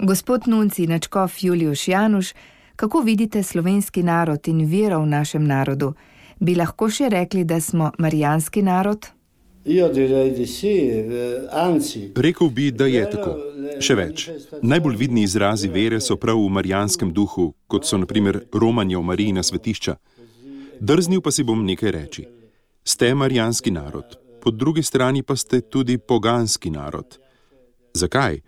Gospod nuncij nadškof Juliuš Januš, kako vidite slovenski narod in vero v našem narodu? Bi lahko še rekli, da smo marijanski narod? Rekel bi, da je tako. Še več. Najbolj vidni izrazi vere so prav v marijanskem duhu, kot so na primer romanje v Marijina svetišča. Drznil pa si bom nekaj reči. Ste marijanski narod, po drugi strani pa ste tudi poganski narod. Zakaj?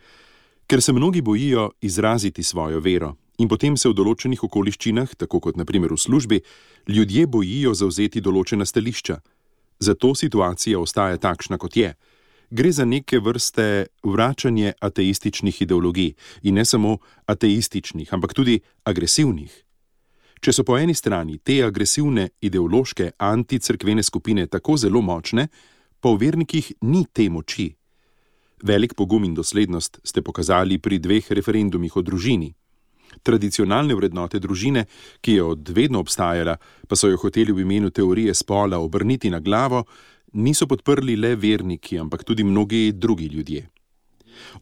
Ker se mnogi bojijo izraziti svojo vero in potem se v določenih okoliščinah, tako kot na primer v službi, ljudje bojijo zavzeti določena stališča. Zato situacija ostaja takšna, kot je. Gre za neke vrste vračanje ateističnih ideologij in ne samo ateističnih, ampak tudi agresivnih. Če so po eni strani te agresivne ideološke anticerkvene skupine tako zelo močne, pa v vernikih ni te moči. Velik pogum in doslednost ste pokazali pri 2 referendumih o družini. Tradicionalne vrednote družine, ki je od vedno obstajala, pa so jo hoteli v imenu teorije spola obrniti na glavo, niso podprli le verniki, ampak tudi mnogi drugi ljudje.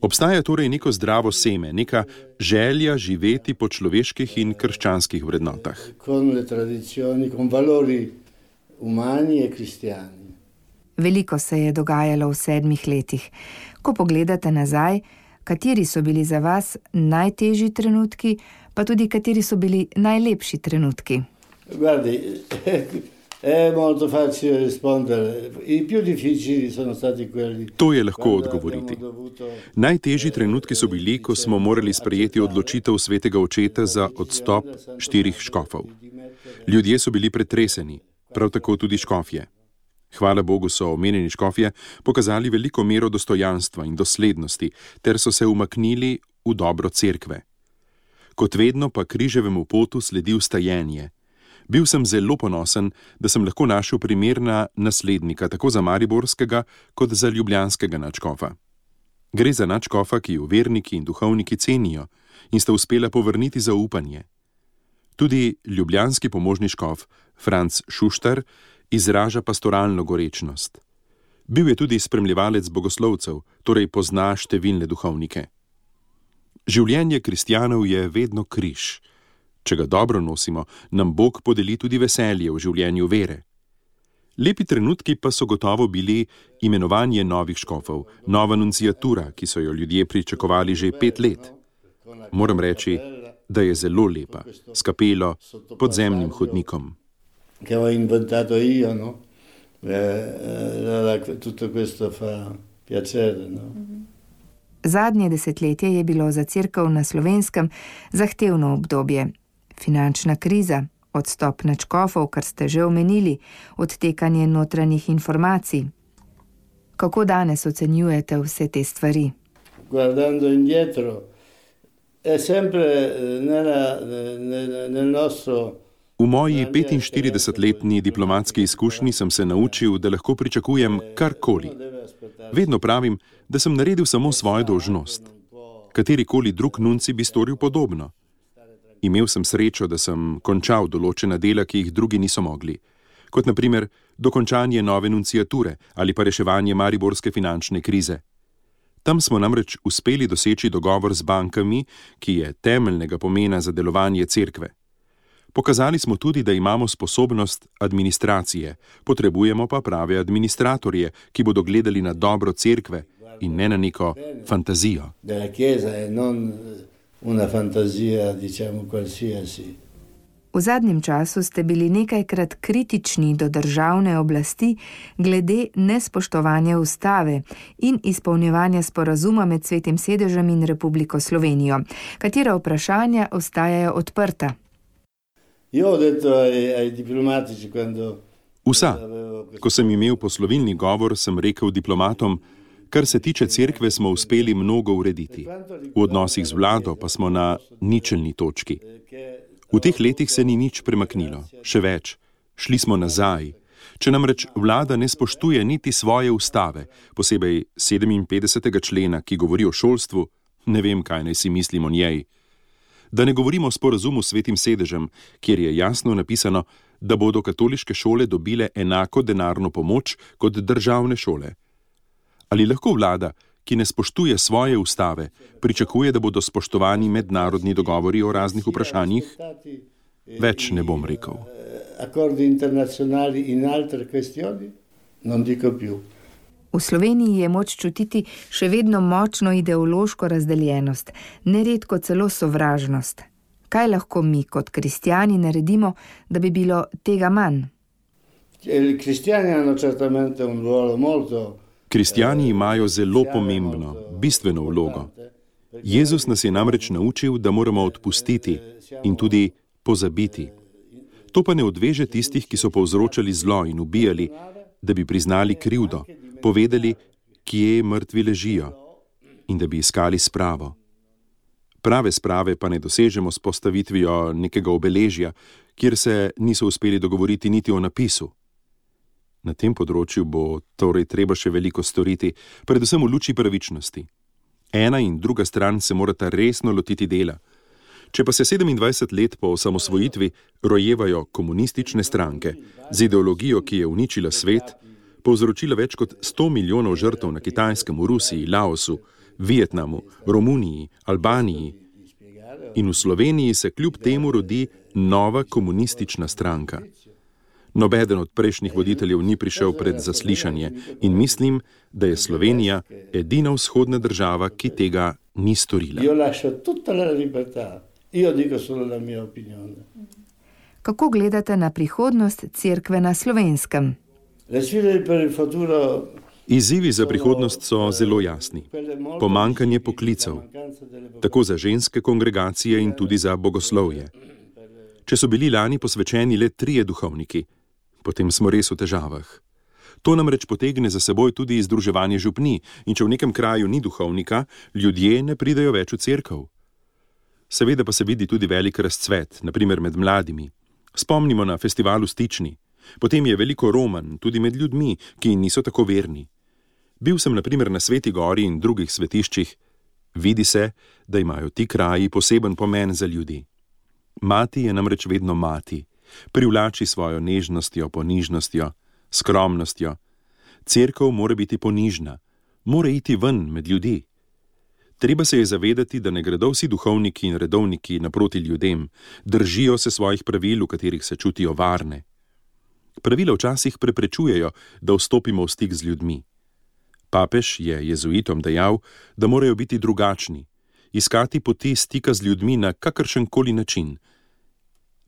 Obstaja torej neko zdravo seme, neka želja živeti po človeških in krščanskih vrednotah. Veliko se je dogajalo v 7 letih. Ko pogledate nazaj, kateri so bili za vas najtežji trenutki, pa tudi kateri so bili najlepši trenutki? Guardi, è molto facile rispondere. I più difficili sono stati quelli. To je lahko odgovoriti. Najtežji trenutki so bili, ko smo morali sprejeti odločitev svetega očeta za odstop 4 škofov. Ljudje so bili pretreseni, prav tako tudi škofje. Hvala Bogu so omenjeni škofje pokazali veliko mero dostojanstva in doslednosti, ter so se umaknili v dobro cerkve. Kot vedno pa križevemu potu sledi vstajenje. Bil sem zelo ponosen, da sem lahko našel primerna naslednika tako za mariborskega kot za ljubljanskega nadškofa. Gre za nadškofa, ki jo verniki in duhovniki cenijo in sta uspela povrniti zaupanje. Tudi ljubljanski pomožni škof Franc Šuštar izraža pastoralno gorečnost. Bil je tudi spremljevalec bogoslovcev, torej pozna številne duhovnike. Življenje kristjanov je vedno križ. Če ga dobro nosimo, nam Bog podeli tudi veselje v življenju vere. Lepi trenutki pa so gotovo bili imenovanje novih škofov, nova nunciatura, ki so jo ljudje pričakovali že 5 let. Moram reči, da je zelo lepa, s kapelo, podzemnim hodnikom. Che ho inventato io, no? Tutto questo fa piacere, no? Zadnje desetletje je bilo za cerkev na Slovenskem zahtevno obdobje. Finančna kriza, odstop nadškofov, kar ste že omenili, odtekanje notranjih informacij. Kako danes ocenjujete vse te stvari? Guardando indietro, è sempre nel nostro. V moji 45-letni diplomatski izkušnji sem se naučil, da lahko pričakujem karkoli. Vedno pravim, da sem naredil samo svojo dolžnost. Katerikoli drug nuncij bi storil podobno. Imel sem srečo, da sem končal določena dela, ki jih drugi niso mogli. Kot na primer dokončanje nove nunciature ali pa reševanje mariborske finančne krize. Tam smo namreč uspeli doseči dogovor z bankami, ki je temeljnega pomena za delovanje cerkve. Pokazali smo tudi, da imamo sposobnost administracije, potrebujemo pa prave administratorje, ki bodo gledali na dobro cerkve in ne na neko fantazijo. V zadnjem času ste bili nekajkrat kritični do državne oblasti glede nespoštovanja ustave in izpolnjevanja sporazuma med Svetim sedežem in Republiko Slovenijo. Katera vprašanja ostajajo odprta? Vsa. Ko sem imel poslovilni govor, sem rekel diplomatom, kar se tiče cerkve, smo uspeli mnogo urediti. V odnosih z vlado pa smo na ničelni točki. V teh letih se ni nič premaknilo. Še več, šli smo nazaj. Če namreč vlada ne spoštuje niti svoje ustave, posebej 57. člena, ki govori o šolstvu, ne vem, kaj naj si mislim o njej. Da ne govorimo o sporazumu s Svetim sedežem, kjer je jasno napisano, da bodo katoliške šole dobile enako denarno pomoč kot državne šole. Ali lahko vlada, ki ne spoštuje svoje ustave, pričakuje, da bodo spoštovani mednarodni dogovori o raznih vprašanjih? Več ne bom rekel. Accordi internazionali in altre questioni? Non dico più. V Sloveniji je moč čutiti še vedno močno ideološko razdeljenost, neredko celo sovražnost. Kaj lahko mi kot kristjani naredimo, da bi bilo tega manj? Kristjani imajo zelo pomembno, bistveno vlogo. Jezus nas je namreč naučil, da moramo odpustiti in tudi pozabiti. To pa ne odveže tistih, ki so povzročali zlo in ubijali, da bi priznali krivdo, povedali, kje mrtvi ležijo in da bi iskali spravo. Prave sprave pa ne dosežemo s postavitvijo nekega obeležja, kjer se niso uspeli dogovoriti niti o napisu. Na tem področju bo torej treba še veliko storiti, predvsem v luči pravičnosti. Ena in druga stran se morata resno lotiti dela. Če pa se 27 let po osamosvojitvi rojevajo komunistične stranke z ideologijo, ki je uničila svet, povzročila več kot 100 milijonov žrtev na Kitajskem, v Rusiji, Laosu, Vietnamu, Romuniji, Albaniji. In v Sloveniji se kljub temu rodi nova komunistična stranka. Nobeden od prejšnjih voditeljev ni prišel pred zaslišanje in mislim, da je Slovenija edina vzhodna država, ki tega ni storila. Kako gledate na prihodnost cerkve na Slovenskem? Izzivi za prihodnost so zelo jasni. Pomanjkanje poklicev, tako za ženske kongregacije in tudi za bogoslovje. Če so bili lani posvečeni le 3 duhovniki, potem smo res v težavah. To namreč potegne za seboj tudi združevanje župnij in če v nekem kraju ni duhovnika, ljudje ne pridejo več v cerkev. Seveda pa se vidi tudi velik razcvet, naprimer med mladimi. Spomnimo na festival v Stični. Potem je veliko romanj, tudi med ljudmi, ki niso tako verni. Bil sem naprimer na Sveti Gori in drugih svetiščih. Vidi se, da imajo ti kraji poseben pomen za ljudi. Mati je namreč vedno mati. Privlači svojo nežnostjo, ponižnostjo, skromnostjo. Cerkev mora biti ponižna, mora iti ven med ljudi. Treba se je zavedati, da ne gredo vsi duhovniki in redovniki naproti ljudem, držijo se svojih pravil, v katerih se čutijo varne. Pravila včasih preprečujejo, da vstopimo v stik z ljudmi. Papež je jezuitom dejal, da morajo biti drugačni, iskati poti stika z ljudmi na kakršenkoli način.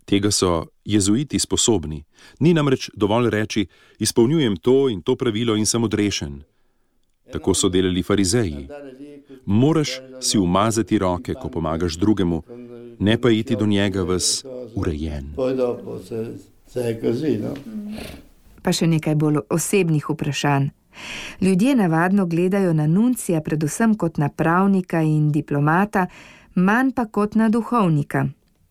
Tega so jezuiti sposobni. Ni namreč dovolj reči, izpolnjujem to in to pravilo in sem odrešen. Tako so delali farizeji. Moraš si umazati roke, ko pomagaš drugemu, ne pa iti do njega ves urejen. Pa še nekaj bolj osebnih vprašanj. Ljudje navadno gledajo na nuncija predvsem kot na pravnika in diplomata, manj pa kot na duhovnika.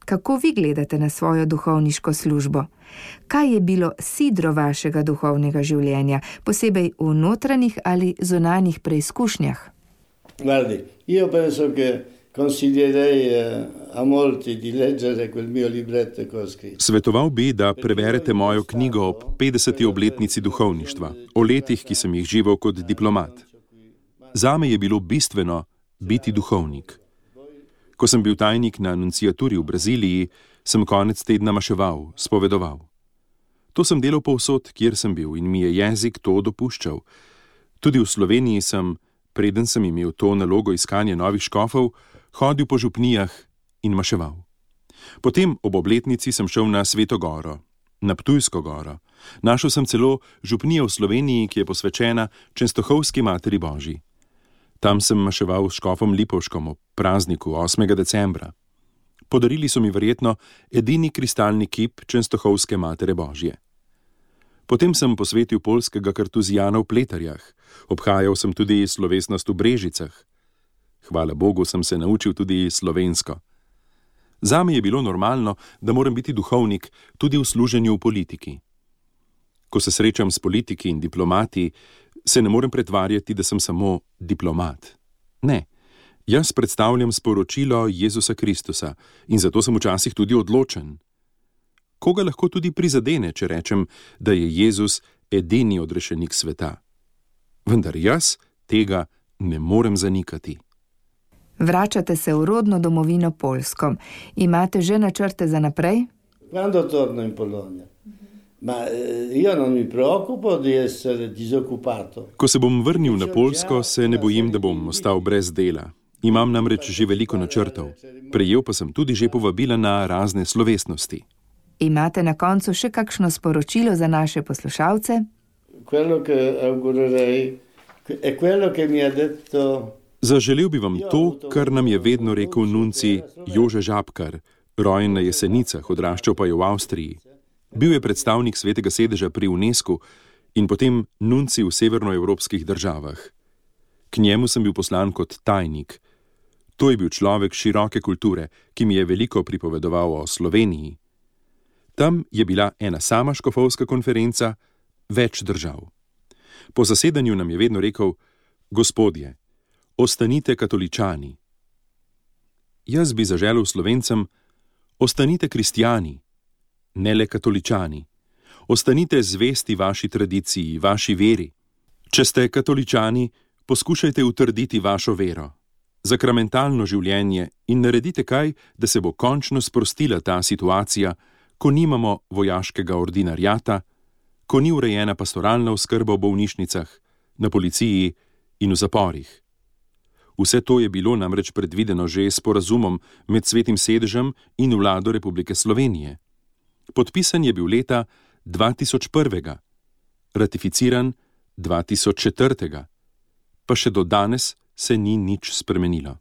Kako vi gledate na svojo duhovniško službo? Kaj je bilo sidro vašega duhovnega življenja, posebej v notranjih ali zunanjih preizkušnjah? Guardi, io penso che consiglierei a molti di leggere quel mio libretto che ho scritto. Svetoval bi, da preberete mojo knjigo ob 50. obletnici duhovništva, o letih, ki sem jih živel kot diplomat. Zame je bilo bistveno biti duhovnik. Ko sem bil tajnik na nunciaturi v Braziliji, sem konec tedna maševal, spovedoval. To sem delal povsod, kjer sem bil in mi je jezik to dopuščal. Tudi v Sloveniji sem, preden sem imel to nalogo iskanja novih škofov, hodil po župnijah in maševal. Potem ob obletnici sem šel na Sveto Goro, na Ptujsko goro. Našel sem celo župnijo v Sloveniji, ki je posvečena Čenstohovski Materi Božji. Tam sem maševal s škofom Lipovškom ob prazniku 8. decembra. Podarili so mi verjetno edini kristalni kip Čenstohovske Matere Božje. Potem sem posvetil poljskega kartuzijana v Pletarjah. Obhajal sem tudi slovesnost v Brežicah. Hvala Bogu sem se naučil tudi slovensko. Zame je bilo normalno, da moram biti duhovnik tudi v služenju v politiki. Ko se srečam s politiki in diplomati, se ne morem pretvarjati, da sem samo diplomat. Ne, jaz predstavljam sporočilo Jezusa Kristusa in zato sem včasih tudi odločen. Koga lahko tudi prizadene, če rečem, da je Jezus edini odrešenik sveta. Vendar jaz tega ne morem zanikati. Vračate se v rodno domovino Poljsko. Imate že načrte za naprej? Quando torno in Polonia? Ma io non mi preoccupo di essere disoccupato. Ko se bom vrnil na Poljsko, se ne bojim, da bom ostal brez dela. Imam namreč že veliko načrtov. Prejel pa sem tudi že povabila na razne slovesnosti. Imate na koncu še kakšno sporočilo za naše poslušalce? Quello che augurerei è quello che mi ha detto. Zaželel bi vam to, kar nam je vedno rekel nunci Jože Žabkar, rojen na Jesenicah, odraščal pa je v Avstriji. Bil je predstavnik Svetega sedeža pri UNESCO in potem nunci v severnoevropskih državah. K njemu sem bil poslan kot tajnik. To je bil človek široke kulture, ki mi je veliko pripovedoval o Sloveniji. Tam je bila ena sama škofovska konferenca, več držav. Po zasedanju nam je vedno rekel: Gospodje, ostanite katoličani. Jaz bi zaželel Slovencem: ostanite kristjani, ne le katoličani. Ostanite zvesti vaši tradiciji, vaši veri. Če ste katoličani, poskušajte utrditi vašo vero, sakramentalno življenje in naredite kaj, da se bo končno sprostila ta situacija, ko nimamo vojaškega ordinarjata, ko ni urejena pastoralna oskrba v bolnišnicah, na policiji in v zaporih. Vse to je bilo namreč predvideno že s sporazumom med Svetim sedežem in vlado Republike Slovenije. Podpisan je bil leta 2001, ratificiran 2004, pa še do danes se ni nič spremenilo.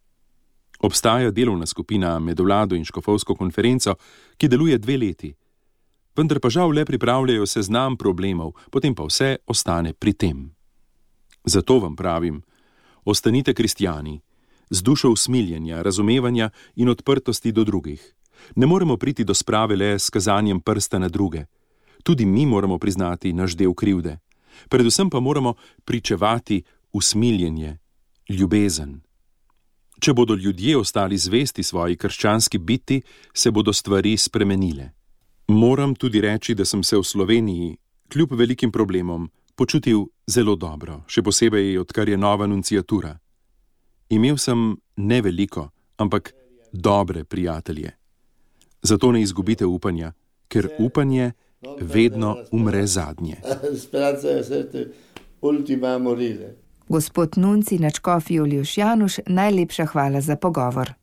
Obstaja delovna skupina med vlado in škofovsko konferenco, ki deluje 2 leti, vendar pa žal le pripravljajo seznam problemov, potem pa vse ostane pri tem. Zato vam pravim, ostanite kristjani, z dušo usmiljenja, razumevanja in odprtosti do drugih. Ne moremo priti do sprave le s kazanjem prsta na druge. Tudi mi moramo priznati naš del krivde. Predvsem pa moramo pričevati usmiljenje, ljubezen. Če bodo ljudje ostali zvesti svoji krščanski biti, se bodo stvari spremenile. Moram tudi reči, da sem se v Sloveniji, kljub velikim problemom, počutil zelo dobro, še posebej, odkar je nova nunciatura. Imel sem ne veliko, ampak dobre prijatelje. Zato ne izgubite upanja, ker upanje vedno umre zadnje. Gospod nunci nadškof Juliuš Januš, najlepša hvala za pogovor.